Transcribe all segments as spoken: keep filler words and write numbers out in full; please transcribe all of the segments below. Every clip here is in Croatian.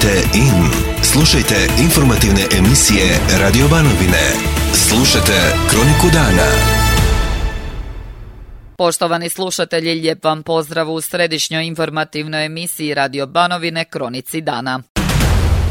Kliknite in. Slušajte informativne emisije Radio Banovine. Slušajte Kroniku dana. Poštovani slušatelji, lijep vam pozdrav u središnjoj informativnoj emisiji Radio Banovine Kronici dana.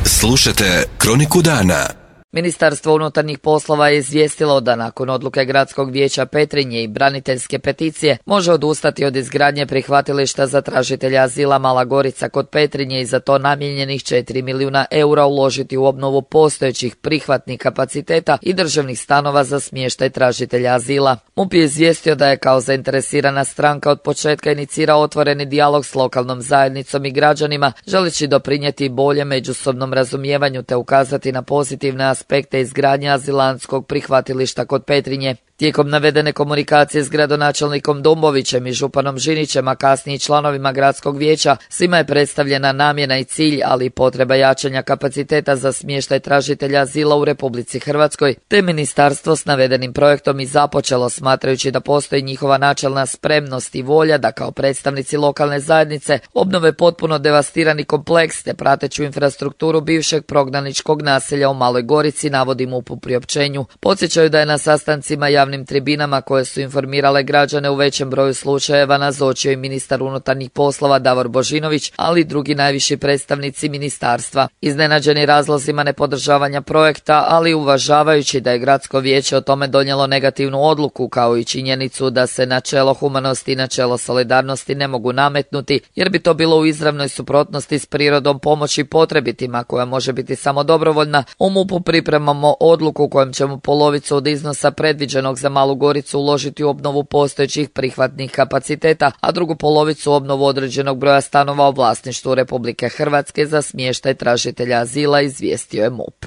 Slušajte Kroniku dana. Ministarstvo unutarnjih poslova je izvijestilo da nakon odluke Gradskog vijeća Petrinje i braniteljske peticije može odustati od izgradnje prihvatilišta za tražitelja azila Mala Gorica kod Petrinje i za to namijenjenih četiri milijuna eura uložiti u obnovu postojećih prihvatnih kapaciteta i državnih stanova za smještaj tražitelja azila. MUP je izvijestio da je kao zainteresirana stranka od početka inicirao otvoreni dijalog s lokalnom zajednicom i građanima, želeći doprinijeti bolje međusobnom razumijevanju te ukazati na pozitivne aspekte izgradnje azilantskog prihvatilišta kod Petrinje. Tijekom navedene komunikacije s gradonačelnikom Dumbovićem i županom Žinićem, a kasnije i članovima gradskog vijeća, svima je predstavljena namjena i cilj, ali i potreba jačanja kapaciteta za smještaj tražitelja azila u Republici Hrvatskoj, te ministarstvo s navedenim projektom i započelo, smatrajući da postoji njihova načelna spremnost i volja da kao predstavnici lokalne zajednice obnove potpuno devastirani kompleks te prateću infrastrukturu bivšeg prognaničkog naselja u Maloj Gorici, navodi MUP u priopćenju. Podsjećaju da je na sastancima javnih tribinama koje su informirale građane u većem broju slučajeva nazočio i ministar unutarnjih poslova Davor Božinović, ali i drugi najviši predstavnici ministarstva. Iznenađeni razlozima nepodržavanja projekta, ali uvažavajući da je gradsko vijeće o tome donijelo negativnu odluku, kao i činjenicu da se načelo humanosti i načelo solidarnosti ne mogu nametnuti, jer bi to bilo u izravnoj suprotnosti s prirodom pomoći potrebitima, koja može biti samo dobrovoljna, u MUP-u pripremamo odluku kojom ćemo polovicu od iznosa predviđenog za Malu Goricu uložiti u obnovu postojećih prihvatnih kapaciteta, a drugu polovicu u obnovu određenog broja stanova u vlasništvu Republike Hrvatske za smještaj tražitelja azila, izvijestio je MUP.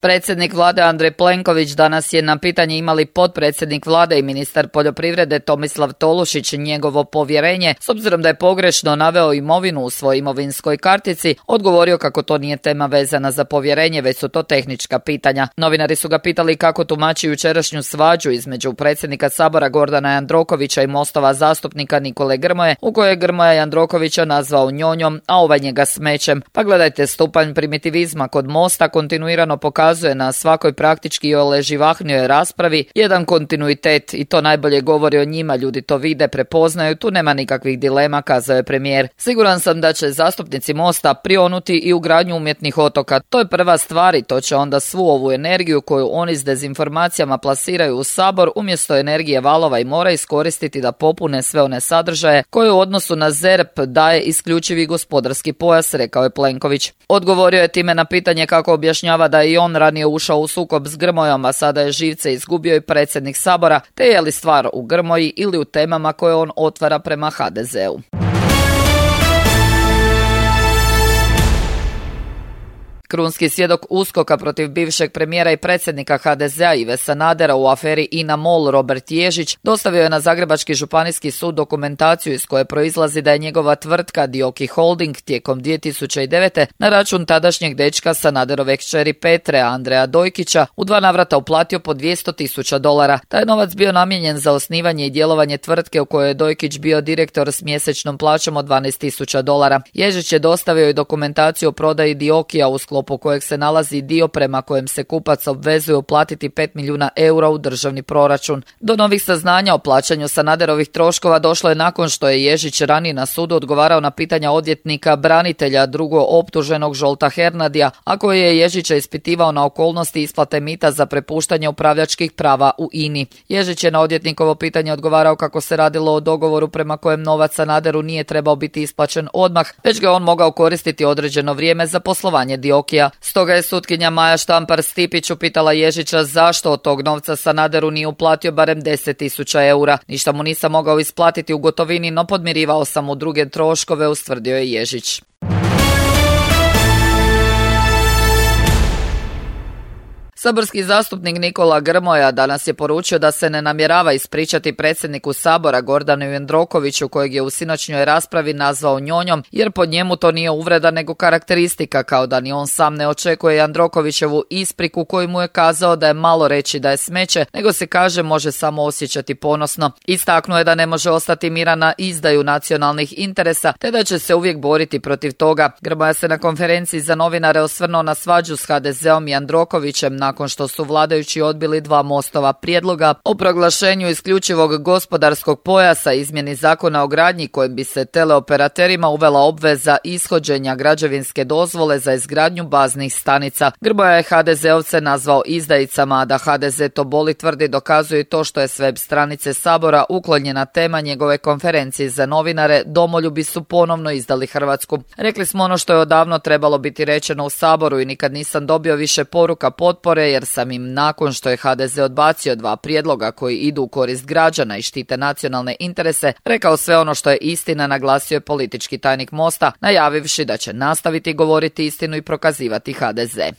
Predsjednik vlade Andrej Plenković danas je na pitanje ima li potpredsjednik vlade i ministar poljoprivrede Tomislav Tolušić njegovo povjerenje, s obzirom da je pogrešno naveo imovinu u svojoj imovinskoj kartici, odgovorio kako to nije tema vezana za povjerenje, već su to tehnička pitanja. Novinari su ga pitali kako tumači jučerašnju svađu između predsjednika Sabora Gordana Jandrokovića i Mostova zastupnika Nikole Grmoje, u kojoj je Grmoja Jandrokovića nazvao njonjom, a ovaj njega smećem. Pa gledajte, stupanj primitivizma kod Mosta kontinuirano pokazuje na svakoj praktički ole živahnijoj raspravi jedan kontinuitet i to najbolje govori o njima, ljudi to vide, prepoznaju, tu nema nikakvih dilema, kazao je premijer. Siguran sam da će zastupnici Mosta prionuti i u gradnju umjetnih otoka. To je prva stvar i to će onda svu ovu energiju koju oni s dezinformacijama plasiraju u Sabor umjesto energije valova i mora iskoristiti da popune sve one sadržaje koje u odnosu na Z E R P daje isključivi gospodarski pojas, rekao je Plenković. Odgovorio je time na pitanje kako objašnjava da je i on ranije ušao u sukob s Grmojom, a sada je živce izgubio i predsjednik Sabora, te je li stvar u Grmoji ili u temama koje on otvara prema ha de zeu. Krunski svjedok USKOK-a protiv bivšeg premijera i predsjednika ha de zea Ive Sanadera u aferi INA MOL Robert Ježić dostavio je na Zagrebački županijski sud dokumentaciju iz koje proizlazi da je njegova tvrtka Dioki Holding tijekom dvije tisuće devete na račun tadašnjeg dečka Sanaderove kćeri Petre Andreja Dojkića u dva navrata uplatio po dvjesto tisuća dolara. Taj novac bio namijenjen za osnivanje i djelovanje tvrtke u kojoj je Dojkić bio direktor s mjesečnom plaćom od dvanaest tisuća dolara. Ježić je dostavio i dokumentaciju o prodaji Diokija u sklopu po kojeg se nalazi dio prema kojem se kupac obvezuje uplatiti pet milijuna eura u državni proračun. Do novih saznanja o plaćanju Sanaderovih troškova došlo je nakon što je Ježić ranije na sudu odgovarao na pitanja odvjetnika branitelja drugo optuženog Žolta Hernadija, a koji je Ježića ispitivao na okolnosti isplate mita za prepuštanje upravljačkih prava u INI. Ježić je na odvjetnikovo pitanje odgovarao kako se radilo o dogovoru prema kojem novac Sanaderu nije trebao biti isplaćen odmah, već ga on mogao koristiti određeno vrijeme za poslovanje Dioki. Dioki-a. Stoga je sutkinja Maja Štampar-Stipić upitala Ježića zašto od tog novca Sanaderu nije uplatio barem deset tisuća eura. Ništa mu nisam mogao isplatiti u gotovini, no podmirivao sam mu druge troškove, ustvrdio je Ježić. Saborski zastupnik Nikola Grmoja danas je poručio da se ne namjerava ispričati predsjedniku Sabora Gordanu Jandrokoviću, kojeg je u sinoćnjoj raspravi nazvao njonjom, jer po njemu to nije uvreda nego karakteristika, kao da ni on sam ne očekuje Jandrokovićevu ispriku koju mu je kazao da je malo reći da je smeće, nego se kaže može samo osjećati ponosno. Istaknuo je da ne može ostati miran na izdaju nacionalnih interesa, te da će se uvijek boriti protiv toga. Grmoja se na konferenciji za novinare osvrnuo na svađu s ha de zeom i Jandrokovićem nakon što su vladajući odbili dva Mostova prijedloga o proglašenju isključivog gospodarskog pojasa, izmjeni zakona o gradnji kojim bi se teleoperaterima uvela obveza ishođenja građevinske dozvole za izgradnju baznih stanica. Grmoja je ha de zeovce nazvao izdajicama, a da ha de ze to boli tvrdi dokazuje to što je s web stranice Sabora uklonjena tema njegove konferencije za novinare "Domoljubi su ponovno izdali Hrvatsku". Rekli smo ono što je odavno trebalo biti rečeno u Saboru i nikad nisam dobio više poruka potpore jer sam im nakon što je ha de ze odbacio dva prijedloga koji idu u korist građana i štite nacionalne interese, rekao sve ono što je istina, naglasio je politički tajnik Mosta, najavivši da će nastaviti govoriti istinu i prokazivati ha de ze.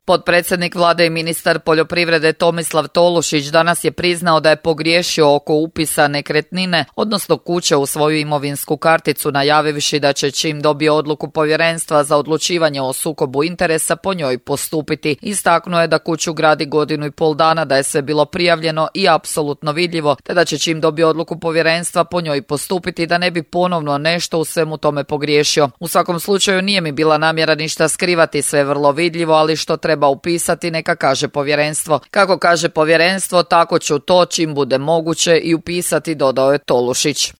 Potpredsjednik vlade i ministar poljoprivrede Tomislav Tolušić danas je priznao da je pogriješio oko upisa nekretnine, odnosno kuće u svoju imovinsku karticu, najavivši da će čim dobije odluku povjerenstva za odlučivanje o sukobu interesa po njoj postupiti. Istaknuo je da kuću gradi godinu i pol dana, da je sve bilo prijavljeno i apsolutno vidljivo, te da će čim dobije odluku povjerenstva po njoj postupiti da ne bi ponovno nešto u svemu tome pogriješio. U svakom slučaju nije mi bila namjera ništa skrivati, sve je vrlo vidljivo, ali što treba treba upisati neka kaže povjerenstvo. Kako kaže povjerenstvo, tako ću to čim bude moguće i upisati, dodao je Tolušić.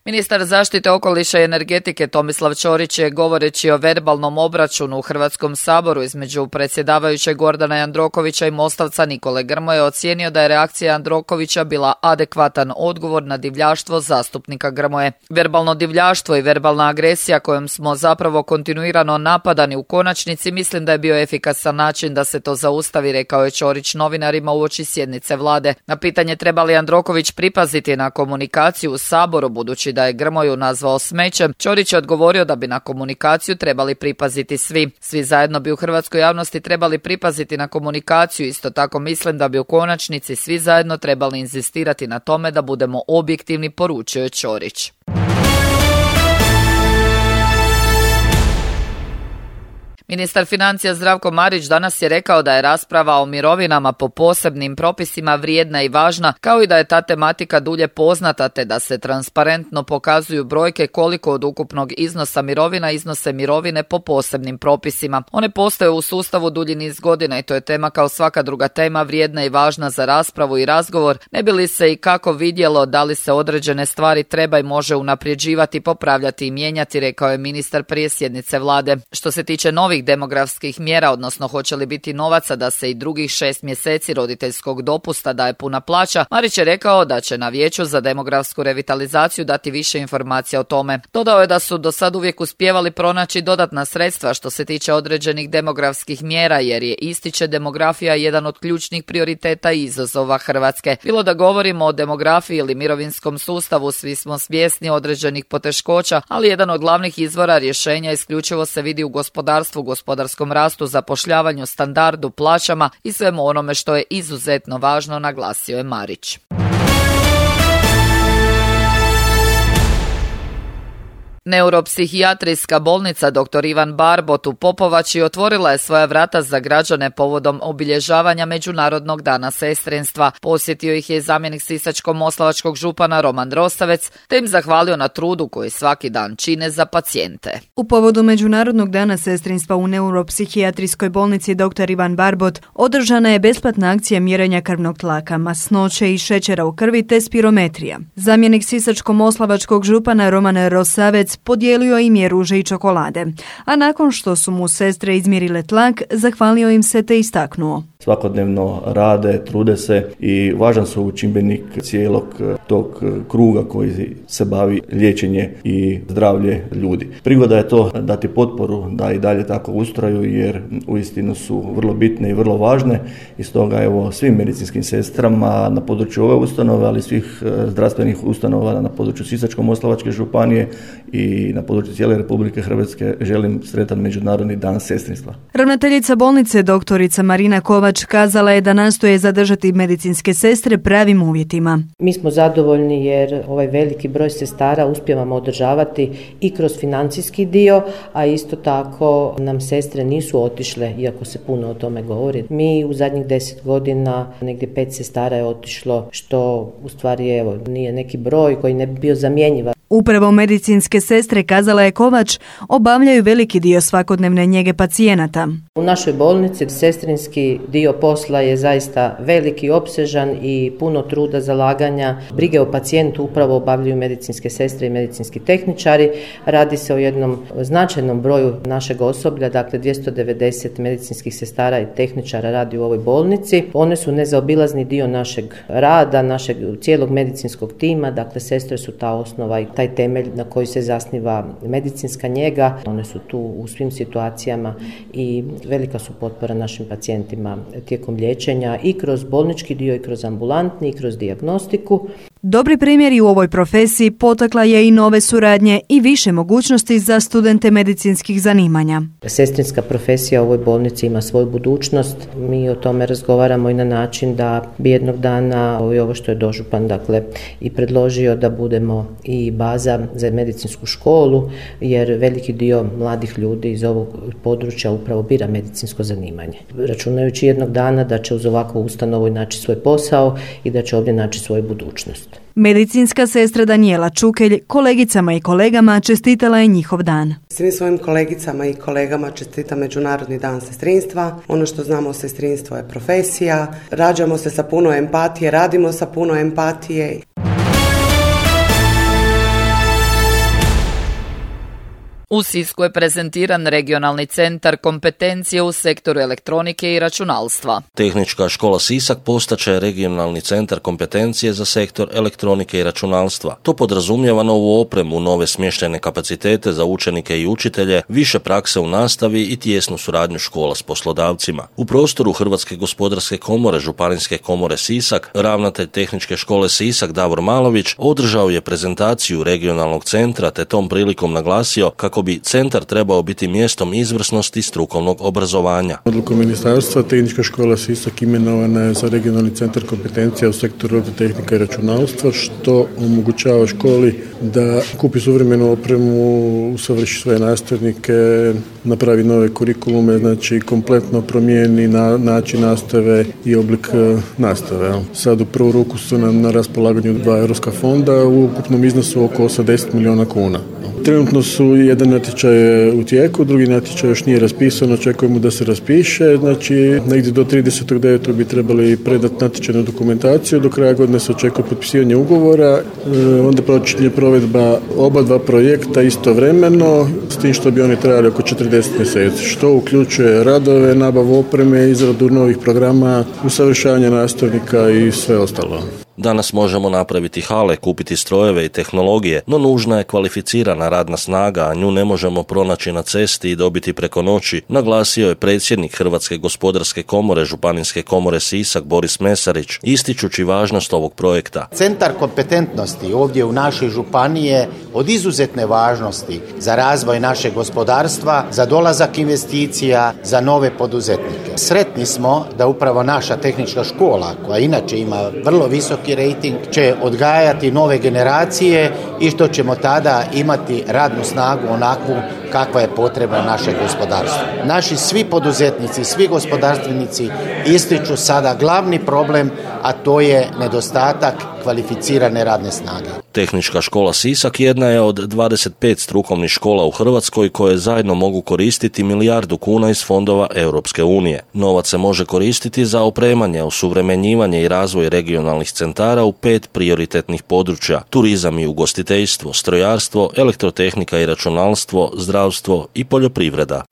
Ministar zaštite okoliša i energetike Tomislav Ćorić je, govoreći o verbalnom obračunu u Hrvatskom saboru između predsjedavajućeg Gordana Jandrokovića i Mostavca Nikole Grmoje, ocijenio da je reakcija Jandrokovića bila adekvatan odgovor na divljaštvo zastupnika Grmoje. Verbalno divljaštvo i verbalna agresija kojom smo zapravo kontinuirano napadani u konačnici, mislim da je bio efikasan način da se to zaustavi, rekao je Ćorić novinarima uoči sjednice vlade. Na pitanje treba li Jandroković pripaziti na komunikaciju u Saboru budući da je Grmoju nazvao smećem, Ćorić je odgovorio da bi na komunikaciju trebali pripaziti svi. Svi zajedno bi u hrvatskoj javnosti trebali pripaziti na komunikaciju, isto tako mislim da bi u konačnici svi zajedno trebali inzistirati na tome da budemo objektivni, poručio je Ćorić. Ministar financija Zdravko Marić danas je rekao da je rasprava o mirovinama po posebnim propisima vrijedna i važna, kao i da je ta tematika dulje poznata, te da se transparentno pokazuju brojke koliko od ukupnog iznosa mirovina iznose mirovine po posebnim propisima. One postoje u sustavu dulji niz godina i to je tema kao svaka druga tema vrijedna i važna za raspravu i razgovor, ne bi li se i kako vidjelo da li se određene stvari treba i može unapređivati, popravljati i mijenjati, rekao je ministar prije sjednice vlade. Što se tiče novih demografskih mjera, odnosno hoće li biti novaca da se i drugih šest mjeseci roditeljskog dopusta daje puna plaća, Marić je rekao da će na Vijeću za demografsku revitalizaciju dati više informacija o tome. Dodao je da su do sad uvijek uspijevali pronaći dodatna sredstva što se tiče određenih demografskih mjera, jer je, ističe, demografija jedan od ključnih prioriteta i izazova Hrvatske. Bilo da govorimo o demografiji ili mirovinskom sustavu, svi smo svjesni određenih poteškoća, ali jedan od glavnih izvora rješenja isključivo se vidi u gospodarstvu, gospodarskom rastu, zapošljavanju, standardu, plaćama i svemu onome što je izuzetno važno, naglasio je Marić. Neuropsihijatrijska bolnica doktor Ivan Barbot u Popovači otvorila je svoja vrata za građane povodom obilježavanja Međunarodnog dana sestrinstva. Posjetio ih je zamjenik sisačko-moslavačkog župana Roman Rosavec, te im zahvalio na trudu koji svaki dan čine za pacijente. U povodu Međunarodnog dana sestrinstva u Neuropsihijatrijskoj bolnici doktor Ivan Barbot održana je besplatna akcija mjerenja krvnog tlaka, masnoće i šećera u krvi te spirometrija. Zamjenik sisačko-moslavačkog župana Roman Rosavec podijelio im je ruže i čokolade, a nakon što su mu sestre izmjerile tlak, zahvalio im se te istaknuo: svakodnevno rade, trude se i važan su čimbenik cijelog tog kruga koji se bavi liječenje i zdravlje ljudi. Prigoda je to dati potporu da i dalje tako ustraju jer uistinu su vrlo bitne i vrlo važne i stoga evo svim medicinskim sestrama na području ove ustanove, ali svih zdravstvenih ustanova na području Sisačko-moslavačke županije i na području cijele Republike Hrvatske želim sretan Međunarodni dan sestrinstva. Ravnateljica bolnice doktorica Marina Kovač kazala je da nastoje zadržati medicinske sestre pravim uvjetima. Mi smo zadovoljni jer ovaj veliki broj sestara uspijevamo održavati i kroz financijski dio, a isto tako nam sestre nisu otišle, iako se puno o tome govori. Mi u zadnjih deset godina negdje pet sestara je otišlo, što u stvari evo, nije neki broj koji ne bi bio zamjenjiv. Upravo medicinske sestre, kazala je Kovač, obavljaju veliki dio svakodnevne njege pacijenata. U našoj bolnici sestrinski dio posla je zaista veliki, opsežan i puno truda, zalaganja. Brige o pacijentu upravo obavljaju medicinske sestre i medicinski tehničari. Radi se o jednom značajnom broju našeg osoblja, dakle dvjesto devedeset medicinskih sestara i tehničara radi u ovoj bolnici. One su nezaobilazni dio našeg rada, našeg cijelog medicinskog tima, dakle sestre su ta osnova i taj temelj na koji se zasniva medicinska njega. One su tu u svim situacijama i velika su potpora našim pacijentima tijekom liječenja i kroz bolnički dio i kroz ambulantni i kroz dijagnostiku. Dobri primjeri u ovoj profesiji potakla je i nove suradnje i više mogućnosti za studente medicinskih zanimanja. Sestrinska profesija u ovoj bolnici ima svoju budućnost. Mi o tome razgovaramo i na način da bi jednog dana i ovo što je dožupan dakle i predložio da budemo i baza za medicinsku školu, jer veliki dio mladih ljudi iz ovog područja upravo bira medicinsko zanimanje. Računajući jednog dana da će uz ovakvu ustanovu naći svoj posao i da će ovdje naći svoju budućnost. Medicinska sestra Danijela Čukelj kolegicama i kolegama čestitala je njihov dan. Svim svojim kolegicama i kolegama čestita Međunarodni dan sestrinstva. Ono što znamo o sestrinstvu je profesija. Rađamo se sa puno empatije, radimo sa puno empatije. U Sisku je prezentiran regionalni centar kompetencije u sektoru elektronike i računalstva. Tehnička škola Sisak postaće regionalni centar kompetencije za sektor elektronike i računalstva. To podrazumijeva novu opremu, nove smještajne kapacitete za učenike i učitelje, više prakse u nastavi i tijesnu suradnju škola s poslodavcima. U prostoru Hrvatske gospodarske komore Županijske komore Sisak, ravnatelj Tehničke škole Sisak Davor Malović održao je prezentaciju regionalnog centra te tom prilikom naglasio kako bi centar trebao biti mjestom izvrsnosti strukovnog obrazovanja. Odlukom ministarstva Tehnička škola Sisak imenovana je za regionalni centar kompetencija u sektoru tehnika i računalstva, što omogućava školi da kupi suvremenu opremu, usavrši svoje nastavnike, napravi nove kurikulume, znači kompletno promijeni na, način nastave i oblik nastave. Sad u prvu ruku su nam na raspolaganju dva europska fonda u ukupnom iznosu oko osamdeset milijuna kuna. Trenutno su jedan natječaj u tijeku, drugi natječaj još nije raspisan, očekujemo da se raspiše, znači negdje do tridesetog devetog bi trebali predati natječajnu dokumentaciju, do kraja godine se očekuje potpisivanje ugovora, onda počinje provedba oba dva projekta istovremeno, s tim što bi oni trajali oko četrdeset mjeseci, što uključuje radove, nabavu opreme, izradu novih programa, usavršavanje nastavnika i sve ostalo. Danas možemo napraviti hale, kupiti strojeve i tehnologije, no nužna je kvalificirana radna snaga, a nju ne možemo pronaći na cesti i dobiti preko noći, naglasio je predsjednik Hrvatske gospodarske komore Županijske komore Sisak Boris Mesarić, ističući važnost ovog projekta. Centar kompetentnosti ovdje u našoj županiji je od izuzetne važnosti za razvoj našeg gospodarstva, za dolazak investicija, za nove poduzetnike. Sretni smo da upravo naša tehnička škola, koja inače ima vrlo visok rating, će odgajati nove generacije i što ćemo tada imati radnu snagu onakvu kakva je potrebna našeg gospodarstva. Naši svi poduzetnici, svi gospodarstvenici ističu sada glavni problem, a to je nedostatak kvalificirane radne snage. Tehnička škola Sisak jedna je od dvadeset pet strukovnih škola u Hrvatskoj koje zajedno mogu koristiti milijardu kuna iz fondova Europske unije. Novac se može koristiti za opremanje, osuvremenjivanje i razvoj regionalnih centara u pet prioritetnih područja: turizam i ugostiteljstvo, strojarstvo, elektrotehnika i računalstvo, zdravstvo i poljoprivreda.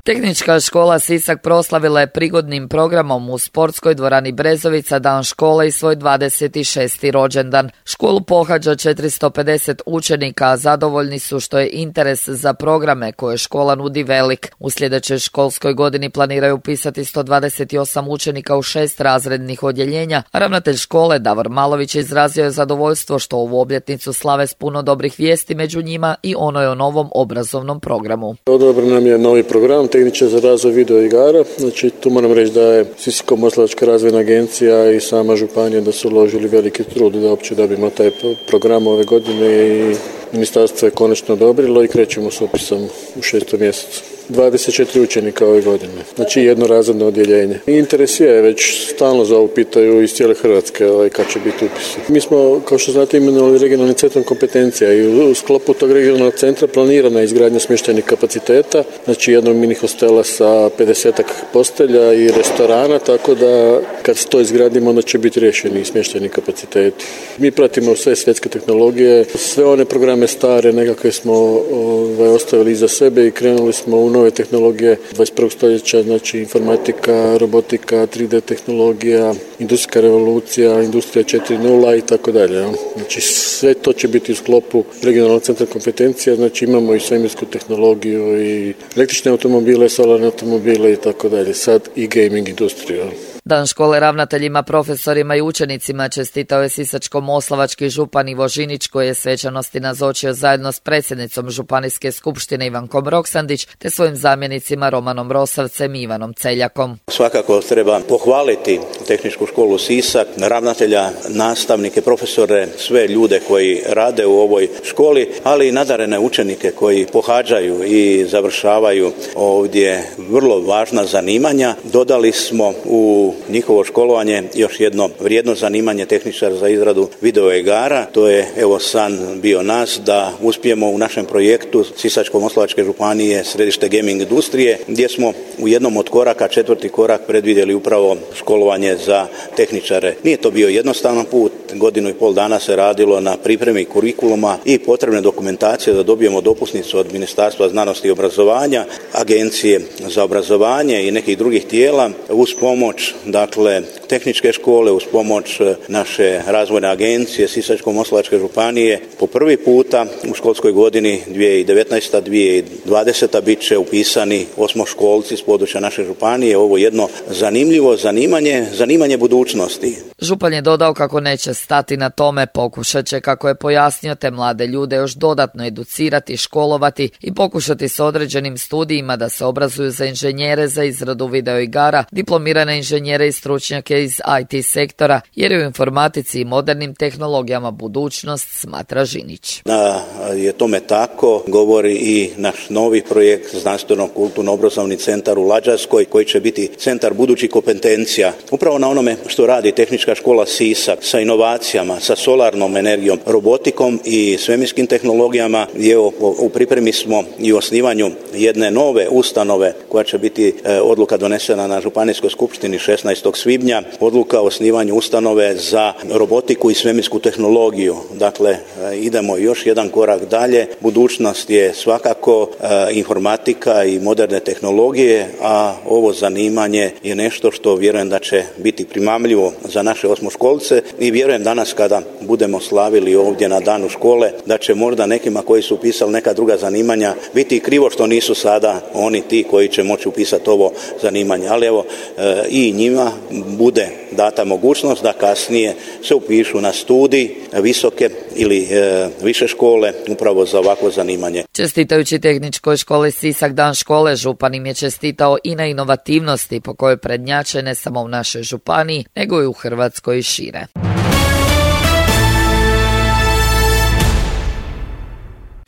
Tehnička škola Sisak proslavila je prigodnim programom u sportskoj dvorani Brezovica dan škole i svoj dvadeset šesti rođendan. Školu pohađa četiristo pedeset učenika, a zadovoljni su što je interes za programe koje škola nudi velik. U sljedećoj školskoj godini planiraju upisati sto dvadeset osam učenika u šest razrednih odjeljenja, a ravnatelj škole Davor Malović izrazio je zadovoljstvo što ovu obljetnicu slave s puno dobrih vijesti, među njima i ono je o novom obrazovnom programu. Odobren nam je novi program Tehničar za razvoj video igara. Znači, tu moram reći da je Sisačko-moslavačka razvojna agencija i sama županija da su uložili veliki trud da uopće dobijemo taj program ove godine i ministarstvo je konačno odobrilo i krećemo s upisom u šestom mjesecu. dvadeset četiri učenika ove godine, znači jedno razredno odjeljenje. Interes je, već stalno za ovo pitaju iz cijele Hrvatske ovaj, kad će biti upisi. Mi smo, kao što znate, imenovali regionalni centar kompetencija i u sklopu tog regionalnog centra planirana je izgradnja smještajnih kapaciteta, znači jednog mini hostela sa pedesetak postelja i restorana, tako da kad to izgradimo onda će biti riješeni smještajni kapaciteti. Mi pratimo sve svjetske tehnologije, sve one programe stare nekakve smo ovaj, ostavili iza sebe i krenuli smo u nove tehnologije dvadeset prvog stoljeća, znači informatika, robotika, tri D tehnologija, industrijska revolucija, industrija četiri nula i tako dalje. Znači sve to će biti u sklopu regionalnog centra kompetencija, znači imamo i svemirsku tehnologiju i električne automobile, solarne automobile i tako dalje, sad i gaming industriju. Dan škole ravnateljima, profesorima i učenicima čestitao je sisačko-moslavački župan Ivo Žinić, koji je svečanosti nazočio zajedno s predsjednicom Županijske skupštine Ivankom Roksandić te svojim zamjenicima Romanom Rosavcem i Ivanom Celjakom. Svakako treba pohvaliti Tehničku školu Sisak, ravnatelja, nastavnike, profesore, sve ljude koji rade u ovoj školi, ali i nadarene učenike koji pohađaju i završavaju ovdje vrlo važna zanimanja. Dodali smo u njihovo školovanje još jedno vrijedno zanimanje tehničar za izradu video igara. To je evo san bio nas da uspijemo u našem projektu Sisačko-moslavačke županije središte gaming industrije, gdje smo u jednom od koraka, četvrti korak, predvidjeli upravo školovanje za tehničare. Nije to bio jednostavan put, godinu i pol dana se radilo na pripremi kurikuluma i potrebne dokumentacije da dobijemo dopusnicu od Ministarstva znanosti i obrazovanja, Agencije za obrazovanje i nekih drugih tijela uz pomoć dakle tehničke škole, uz pomoć naše razvojne agencije Sisačko-moslavačke županije. Po prvi puta u školskoj godini dvije tisuće devetnaesta dvije tisuće dvadeseta bit će upisani osmoškolci s područja naše županije. Ovo jedno zanimljivo zanimanje, zanimanje budućnosti. Župan je dodao kako neće stati na tome, pokušat će, kako je pojasnio, te mlade ljude još dodatno educirati, školovati i pokušati s određenim studijima da se obrazuju za inženjere za izradu video igara, diplomirane inženjere i stručnjake iz I T sektora, jer je u informatici i modernim tehnologijama budućnost, smatra Žinić. Da je tome tako govori i naš novi projekt znanstveno-kulturno-obrazovni centar u Lađarskoj, koji će biti centar budućih kompetencija. Upravo na onome što radi Tehnička škola Sisak sa inovacijama, sa solarnom energijom, robotikom i svemirskim tehnologijama. Evo, u pripremi smo i osnivanju jedne nove ustanove koja će biti e, odluka donesena na Županijskoj skupštini šesnaestog svibnja, odluka o osnivanju ustanove za robotiku i svemirsku tehnologiju. Dakle, e, idemo još jedan korak dalje. Budućnost je svakako e, informatika i moderne tehnologije, a ovo zanimanje je nešto što vjerujem da će biti primamljivo za naše osmoškolce i vjerujem danas kada budemo slavili ovdje na danu škole da će možda nekima koji su upisali neka druga zanimanja biti krivo što nisu sada oni ti koji će moći upisati ovo zanimanje. Ali evo e, i njima bude data mogućnost da kasnije se upišu na studij visoke ili e, više škole upravo za ovakvo zanimanje. Čestitajući Tehničkoj školi Sisak dan škole, župan im je čestitao i na inovativnosti po kojoj prednjače ne samo u našoj županiji, nego i u Hrvatskoj i šire.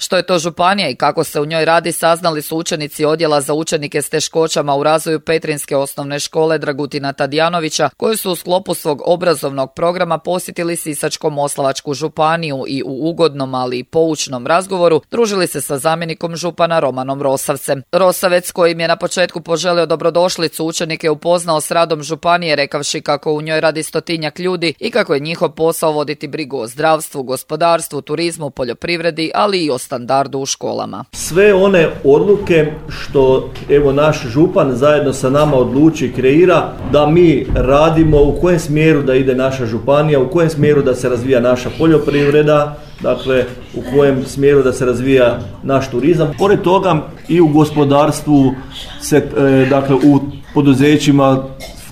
Što je to županija i kako se u njoj radi, saznali su učenici odjela za učenike s teškoćama u razvoju Petrinjske osnovne škole Dragutina Tadijanovića, koji su u sklopu svog obrazovnog programa posjetili Sisačko-moslavačku županiju i u ugodnom, ali i poučnom razgovoru družili se sa zamjenikom župana Romanom Rosavcem. Rosavec, koji im je na početku poželio dobrodošlicu, učenike upoznao s radom županije, rekavši kako u njoj radi stotinjak ljudi i kako je njihov posao voditi brigu o zdravstvu, gospodarstvu, turizmu, poljoprivredi, ali i o standardu u školama. Sve one odluke što evo naš župan zajedno sa nama odluči i kreira da mi radimo, u kojem smjeru da ide naša županija, u kojem smjeru da se razvija naša poljoprivreda, dakle u kojem smjeru da se razvija naš turizam. Pored toga i u gospodarstvu se, e, dakle u poduzećima,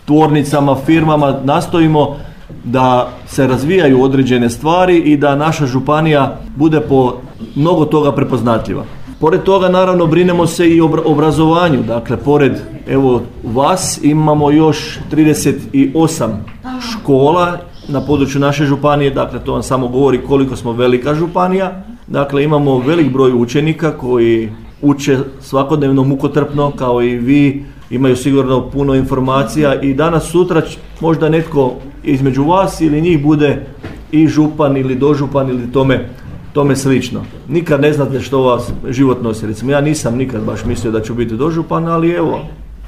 tvornicama, firmama nastojimo da se razvijaju određene stvari i da naša županija bude po mnogo toga prepoznatljiva. Pored toga naravno brinemo se i o obrazovanju, dakle pored evo vas imamo još trideset osam škola na području naše županije, dakle to vam samo govori koliko smo velika županija. Dakle imamo velik broj učenika koji uče svakodnevno mukotrpno kao i vi, imaju sigurno puno informacija i danas sutra možda netko između vas ili njih bude i župan ili dožupan ili tome, tome slično. Nikad ne znate što vas život nosi. Recimo ja nisam nikad baš mislio da ću biti dožupan, ali evo,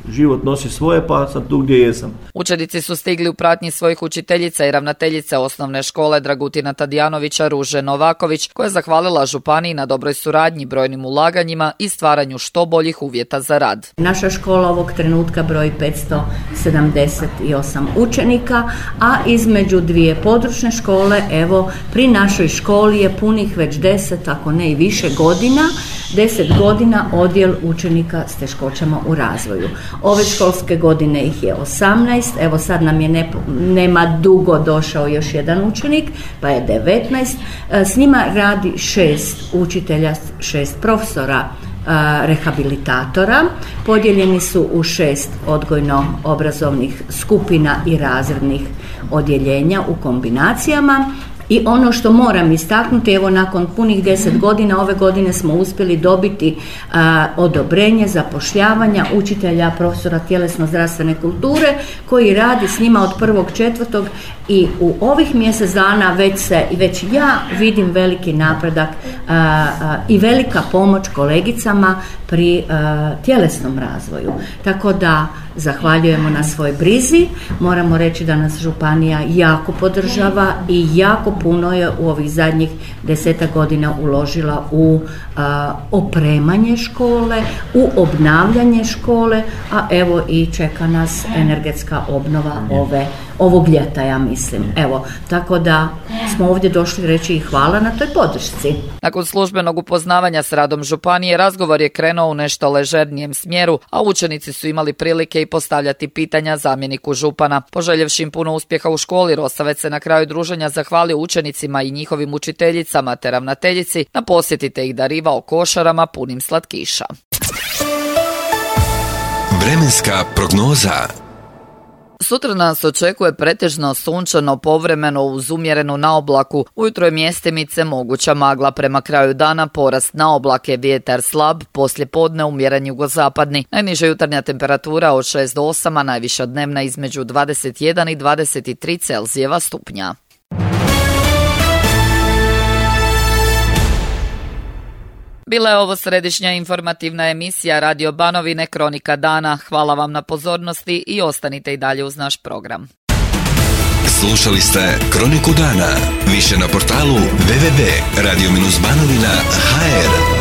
život nosi svoje, pa sam tu gdje jesam. Učenici su stigli u pratnji svojih učiteljica i ravnateljice osnovne škole Dragutina Tadijanovića Ruže Novaković, koja je zahvalila županiji na dobroj suradnji, brojnim ulaganjima i stvaranju što boljih uvjeta za rad. Naša škola ovog trenutka broji petsto sedamdeset osam učenika, a između dvije područne škole, evo, pri našoj školi je punih već deset, ako ne i više godina, deset godina odjel učenika s teškoćama u razvoju. Ove školske godine ih je osamnaest, evo sad nam je ne, nema dugo došao još jedan učenik, pa je devetnaest. S njima radi šest učitelja, šest profesora, rehabilitatora. Podijeljeni su u šest odgojno-obrazovnih skupina i razrednih odjeljenja u kombinacijama. I ono što moram istaknuti, evo nakon punih deset godina, ove godine smo uspjeli dobiti a, odobrenje zapošljavanja učitelja, profesora tjelesno-zdravstvene kulture koji radi s njima od prvog četvrtog i u ovih mjesec dana već se, već ja vidim veliki napredak a, a, i velika pomoć kolegicama pri a, tjelesnom razvoju. Tako da zahvaljujemo na svoj brizi, moramo reći da nas županija jako podržava i jako puno je u ovih zadnjih desetak godina uložila u a, opremanje škole, u obnavljanje škole, a evo i čeka nas energetska obnova ove, ovog ljeta, ja mislim. Evo, tako da smo ovdje došli reći i hvala na toj podršci. Nakon službenog upoznavanja s radom županije, razgovor je krenuo u nešto ležernijem smjeru, a učenici su imali prilike i postavljati pitanja zamjeniku župana. Poželjevši im puno uspjeha u školi, Rosavec se na kraju druženja zahvalio učenicima i njihovim učiteljicama te ravnateljici na posjetite ih darivao košarama punim slatkiša. Vremenska prognoza. Sutra nas očekuje pretežno sunčano, povremeno uz umjerenu naoblaku. Ujutro je mjestimice moguća magla, prema kraju dana porast naoblake, vjetar slab, poslije podne umjeren jugozapadni. Najniža jutarnja temperatura od šest do osam, a najviša dnevna između dvadeset jedan i dvadeset tri Celzijeva stupnja. Bila je ovo središnja informativna emisija Radio Banovine Kronika dana. Hvala vam na pozornosti i ostanite i dalje uz naš program. Slušali ste Kroniku dana. Više na portalu w w w tačka radio banovina tačka h r.